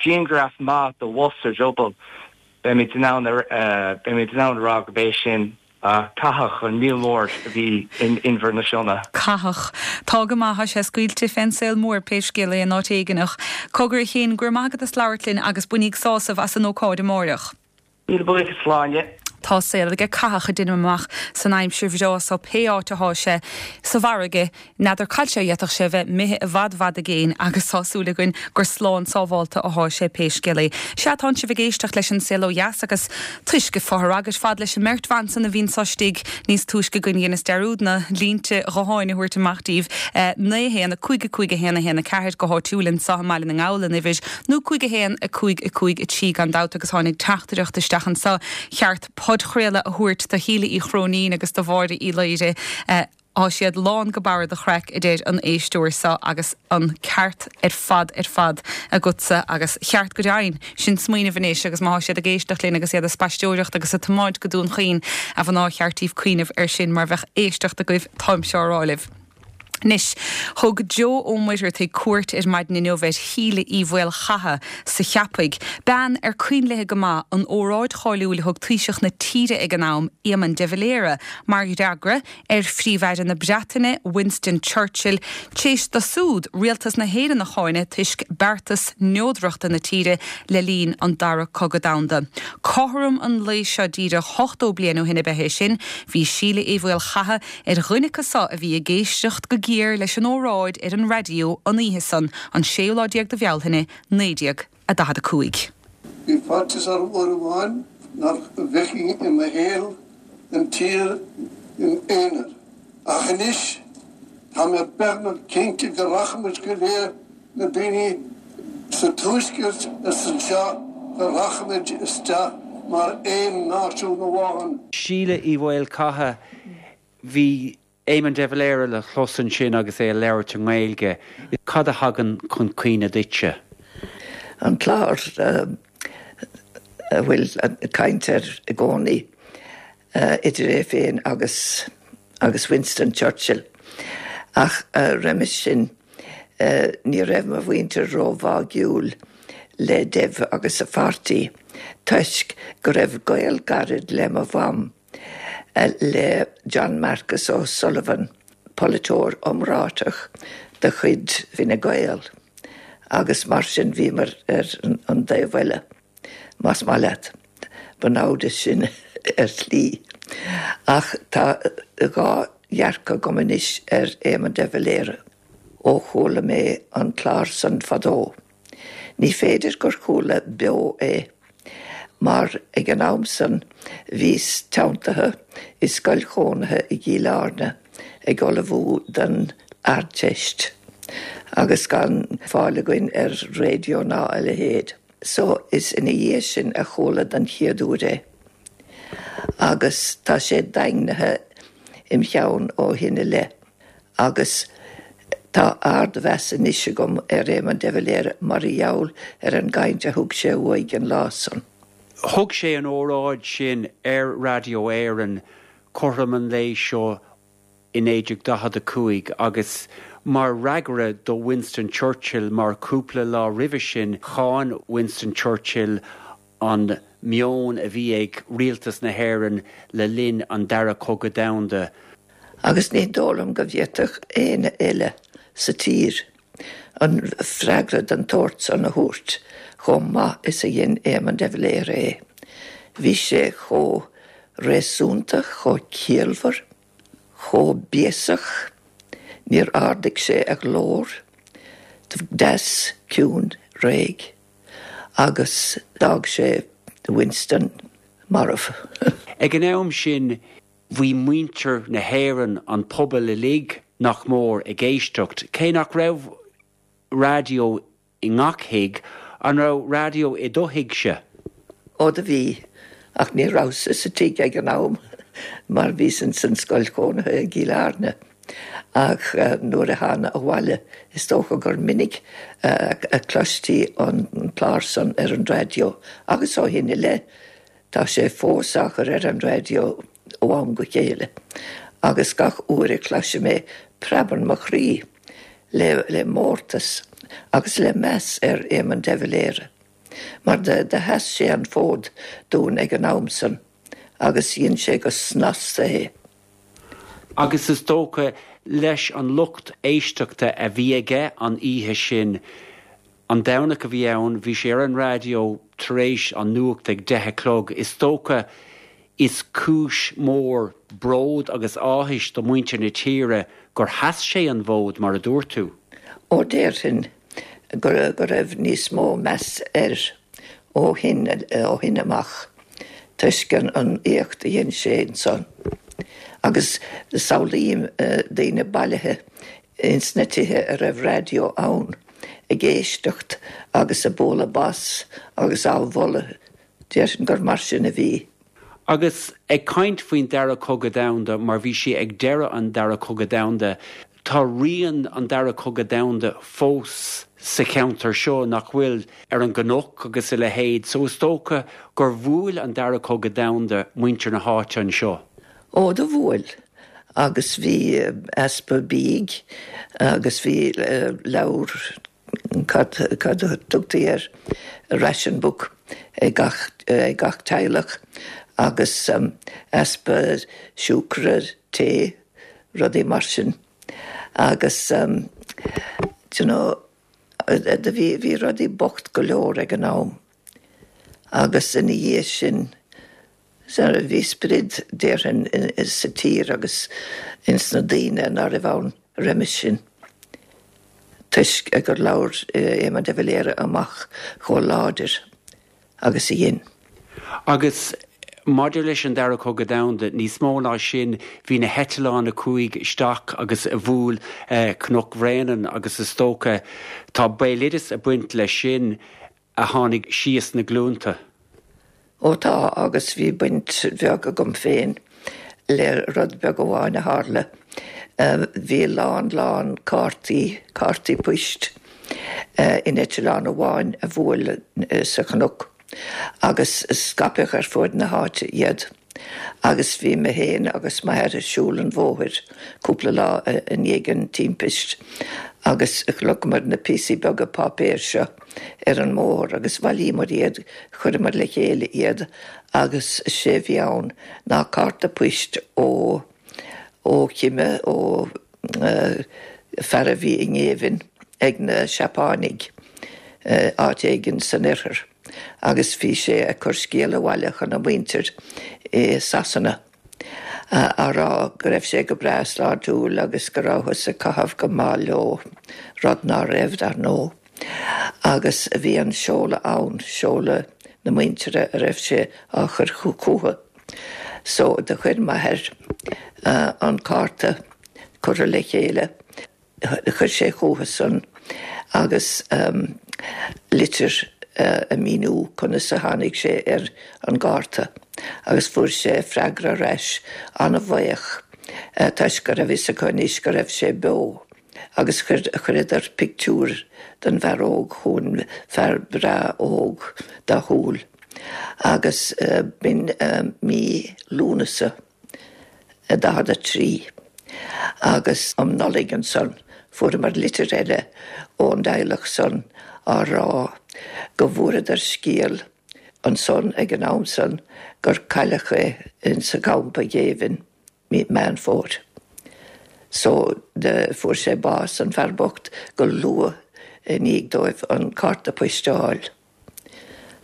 grianghraf maith de bhos a dhrioball, beimid in ann, beimid in ann a rá gurb é sin Cathach, an míol mór a bhí in Inbhear na Sionna. Cathach. Tá go maith, tá sé scaoilte fén saol mór pé scéal é in áit éigineach. Cogar a Chéin, go raibh maith agat as labhairt linn agus bainíg sásamh as an ócáid amáireach. Míle buíochas, Sláine. Tá saol aige Cathach a deinim amach san aimsir bhreá so pé áit athá sé sa bhfarraige n'fheadar cá bhfuil sé d'fhéadfadh sé bheith imithe i bhfad bhfad i gcéin agus tá súil againn gur slán sábháilte athá sé pé scéal é. Sea tánn sibh ag éisteacht leis an Saol Ó Dheas agus toisc fáth agus fad leis an mbeirt bhan san a bhíonn anseo istigh níos túisce againn dheineas dearúd na línte gutháin a thabhairt amach daoibh naoi a haon a cúig a cúig a haon a haon a ceathair go háitiúil anseo i mBaile na nGall an uimhir nó cúig a haon a cúig a cúig a trí gan dabht agus tháinig teachtaireacht isteach anseo cheart podchraoladh a thabhairt do Shíle Uí Chróinín agus do Mháire Uí Laoire Tá siad lán go barr de chraic a deir an éisteoir seo agus an ceart ar fad ar fad agatsa agus cheart go deimhin sin smaoineamh anois agus má tá siad ag éisteacht linn agus iad ag spaisteoireacht agus ag tiomáint go Dún Chaoin a mhná cheart daoibh cuimhneamh ar sin mar bheadh éisteacht agaibh táimse á rá libh. Anois, thug Joe Ó Muircheartaigh cuairt ar maidin inniu ar Shíle Uí Mhaolchatha sa Cheapaigh, bean ar cuimhin léi go maith an óráid cháiliúil a thug Taoiseach na tíre ag an am, Éamon de Valera, mar fhreagra ar Phríomh-Aire na Breataine, Winston Churchill, tar éis dó siúd rialtas na hÉireann a cháineadh toisc beartas neodrachta na tíre le linn an Dara Cogadh Domhanda. Cothrom an lae seo díreach ochtó bliain ó shin ab ea é sin, bhí Síle Uí Mhaolchatha ar dhuine acu so a bhí ag éisteacht go géar leis an óráid ar an raidió an oíche san an séú lá déag de Bhealtaine naoi déag a daichead a cúig. Bhí faitíos orm uair amháin nach bhfeicfinn i mo shaol an tír in aonar. Ach anois tá mé beagnach cinnte go rachaimid go léir na daoine sa tuaisceart is anseo go rachaimid isteach mar aon náisiún amháin. Síle Uí Mhaolchatha, bhí Éamon de Valera le clos ansin agus é ag labhairt i nGaeilge. Cad a thagann chun cuimhne duitse? An clár a bhfuil caint air i gcónaí idir é féin agus agus Winston Churchill. Ach roimis sin ní raibh mo mhuintir róbháúil le Dev agus a pháirtí, toisc go raibh gaol gairid le mo mham le John Marcus O'Sullivan, polaiteoir iomráiteach de chuid Fine Gael, agus mar sin bhíomar ar an dtaobh eile, más maith leat. Ba namhad sin ar shlí. Ach tá dhá dhearcadh agam anois ar Éamon de Valera ó chuala mé an clár san fadó. Ní féidir gur chuala beo é, mar ag an am san bhíos teanntaithe i scoil chónaithe i gCill Airne ag ullmhú don Ardteist, agus gan fáil againn ar raidió ná a leithéid. So is ina dhiaidh sin a chuala den chéad uair é. Agus tá sé daingnithe im cheann ó shin i leith. Agus tá ardmheas anois agam ar Éamon de Valera mar gheall ar an gcaint a thug sé uaidh an lá san. Thug sé an óráid sin ar Raidió Éireann cothrom an lae seo i naoi déag daichead a cúig agus mar fhreagra do Winston Churchill mar cúpla lá roimhe sin cháin Winston Churchill an meon a bhí ag rialtas na hÉireann le linn an Dara Cogadh Domhanda. Agus ní dóigh liom go bhféadfadh éinne eile sa tír an freagra den tsórt san a thabhairt chomh maith is a dhein Éamon de Valera é. Bhí sé chomh réasúnta, chomh ciallmhar, chomh béasach, níor ardaigh sé a ghlór, deas ciúin réidh, agus d'fhág sé Winston marbh. Ag an am sin bhí muintir na hÉireann an pobal uilig nach mór ag éisteacht, cé nach raibh raidió i ngach tigh an raibh raidió i do thighse. Ó do bhí ach ní rabhas sa tigh ag an am mar bhíos san scoil chónaithe i gCill Airne. Ach nuair a thána abhaile is dócha gur minic a chloistí an clár san ar an raidió agus ó shin i leith tá sé fós á chur ar an raidió ó am go chéile. Agus gach uair a chloisim é preabann mo chroí le, le mórtas agus le meas ar Éamon de Valera. Mar de, de sheas sé an fód dúinn ag an am san, agus dhein sé go snasta é. Agus is dócha leis an lucht éisteachta a bhí aige an oíche sin an Domhnach a bhí ann, bhí sé ar an raidió tar éis an nuacht ag deich a chlog. Is dócha Is cúis mór bród agus áthais do muintir na tíre gur sheas sé an fód mar a dúirt tú. Ó déarfainn go go raibh níos mó meas air ó shin ó shin amach toisc an an éacht a dhein sé ansan. Agus samhlaím daoine bailithe ins na tithe a raibh raidió ann ag éisteacht agus ag bualadh bos agus á mholadh, déarfainn gur mar sin a bhí. Agus ag caint faoin Dara Cogadh Domhanda, mar bhí sé ag deireadh an Dara Cogadh Domhanda, tá rian an Dara Cogadh Domhanda fós sa cheantar seo nach bhfuil ar an gcnoc agus a leithéid, so is dócha gur bhuail an Dara Cogadh Domhanda muintir na háite anseo. Ó do bhuail, agus bhí easpa bídh agus bhí leabhar cad cad a tugtaí air, ration book ag gach ag gach teaghlach agus easpa siúcra, tae, rudaí mar sin agus do you know do bhí bhí rudaí bocht go leor ag an am agus ina dhiaidh sin bhí sprid déarfainn sa tír agus ins na daoine ná raibh ann roimis sin toisc gur labhair Éamon de Valera amach chomh láidir agus a dhein. Agus maidir leis an Dara Cogadh Domhanda, níos mó ná sin, bhí na heitleáin a chuaigh isteach agus a bhuail Cnoc Bhréanainn agus is dócha tá béaloideas ag baint leis sin a tháinig síos na glúnta. Ó tá, agus bhí baint bheag agam féin le rud beag amháin a tharla. Bhí lán lán cártaí, cártaí poist, in eitleán amháin a bhuail sa chnoc agus scaipeadh ar fud na háite iad. Agus bhí mé féin agus m'athair ag siúl an bhóthair cúpla lá i ndiaidh an timpist agus chonaiceamar na píosaí beaga páipéir seo ar an mbóthar agus bhailíomar iad, chuireamar le chéile iad agus sé a bhí ann ná cárta poist ó ó chime, ó fear a bhí i ngéibheann ag na Seapánaigh áit éigin san oirthear agus bhí sé ag cur scéal abhaile chun a mhuintir i Sasana á rá go raibh sé go breá sláintiúil agus go rabhthas ag caitheamh go maith leo, rud ná raibh, dar ndóigh. Agus bhí an seoladh ann, seoladh na muintire a raibh sé á chur chucu. So do chuir m'athair an cárta curtha le chéile, chuir sé chucu san agus litir ag míniú conas a tháinig sé ar an gcárta agus fuair sé freagra ar ais an-bhuíoch toisc go raibh fhios acu anois go raibh sé beo agus chuir chuireadar pictiúr den bhfear óg chugainn, fear breá óg dathúil agus b'in mí Lúnasa daichead a trí agus um Nollaig ansan fuaireamar litir eile ón dteaghlach san á rá go bhfuaireadar scéal ansan ag an am san gur cailleadh é insa gcampa géibhinn mí Meán Fómhair. So fuair sé bás, an fear bocht, go luath i ndiaidh dóibh an cárta poist a fháil.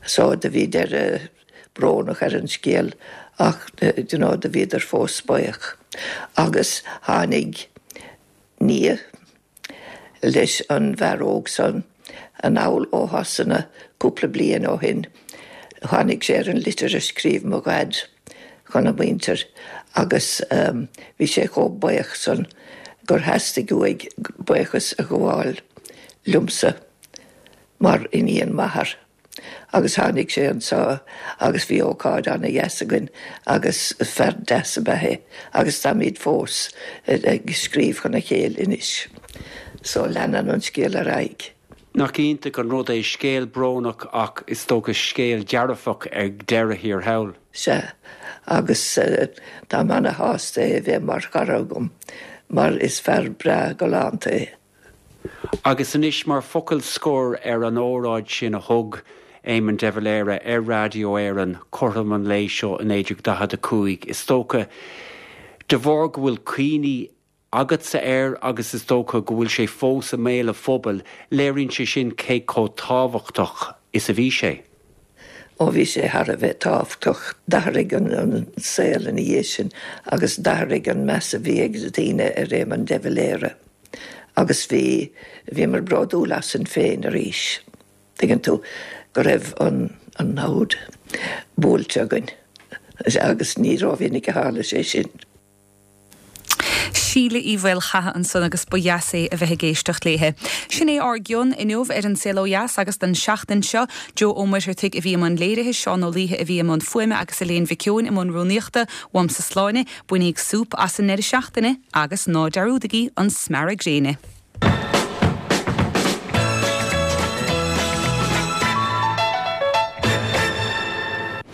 So do bhí deireadh brónach ar an scéal ach you know do bhíodar fós buíoch. Agus tháinig nia leis an bhfear óg san anall ó Shasana cúpla bliain ó shin. Tháinig sé ar an litir a scríobh mo dhaid chun a mhuintir agus bhí sé chomh buíoch san gur theastaigh uaidh buíochas a ghabháil liomsa mar iníon m'athar. Agus tháinig sé anseo agus bhí ócáid ana-dheas againn agus fear deas ab ea é agus táimid fós ag scríobh chun a chéile anois. So leanann an scéal ar aghaidh. Nach iontach an rud é, scéal brónach ach is dócha scéal dearfach ag deireadh thiar thall. Sea, agus táim ana-shásta é a bheith mar chara agam mar is fear breá galánta é. Agus anois mar focal scoir ar an óráid sin a thug Éamon de Valera ar Raidió Éireann cothrom an lae seo i naoi déag daichead a cúig, is dócha de bharr go bhfuil cuimhní agatsa air agus is dócha go bhfuil sé fós i mbéal an phobail, léiríonn sé sin cé chomh tábhachtach is a bhí sé. Ó bhí sé thar a bheith tábhachtach. D'athraigh an saol ina dhiaidh sin agus d'athraigh an meas a bhí ag daoine ar Éamon de Valera. Agus bhí, bhíomar bródúil asainn féin arís. Tuigeann tú, go raibh an, an namhaid buailte againn. Agus ní rómhinic a tharla sé sin. Síle Uí Mhaolchatha ansan agus ba dheas é a bheith ag éisteacht léithe. Sin é ár gcion inniu ar An Saol Ó Dheas agus don seachtain seo, Joe Ó Muircheartaigh a bhí i mbun léirithe, Seán Ó Laoithe a bhí i mbun fuaime agus Elaine Mhic Eoin i mbun rúnaíochta. Uaimse Sláine, bainíg súp as an ndeireadh seachtaine agus ná dearúdaigí an smearadh gréine.